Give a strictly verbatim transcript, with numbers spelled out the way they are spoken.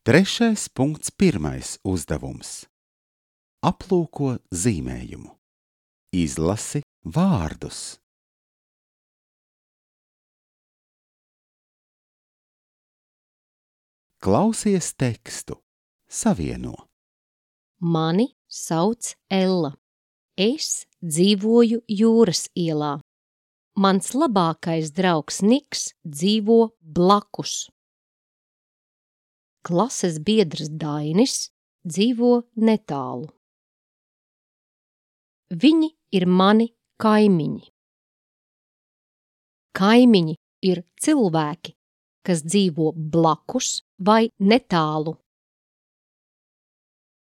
Trešais punkts pirmais uzdevums. Aplūko zīmējumu. Izlasi vārdus. Klausies tekstu. Savieno. Mani sauc Ella. Es dzīvoju Jūras ielā. Mans labākais draugs Niks dzīvo blakus. Klases biedrs Dainis dzīvo netālu. Viņi ir mani kaimiņi. Kaimiņi ir cilvēki, kas dzīvo blakus vai netālu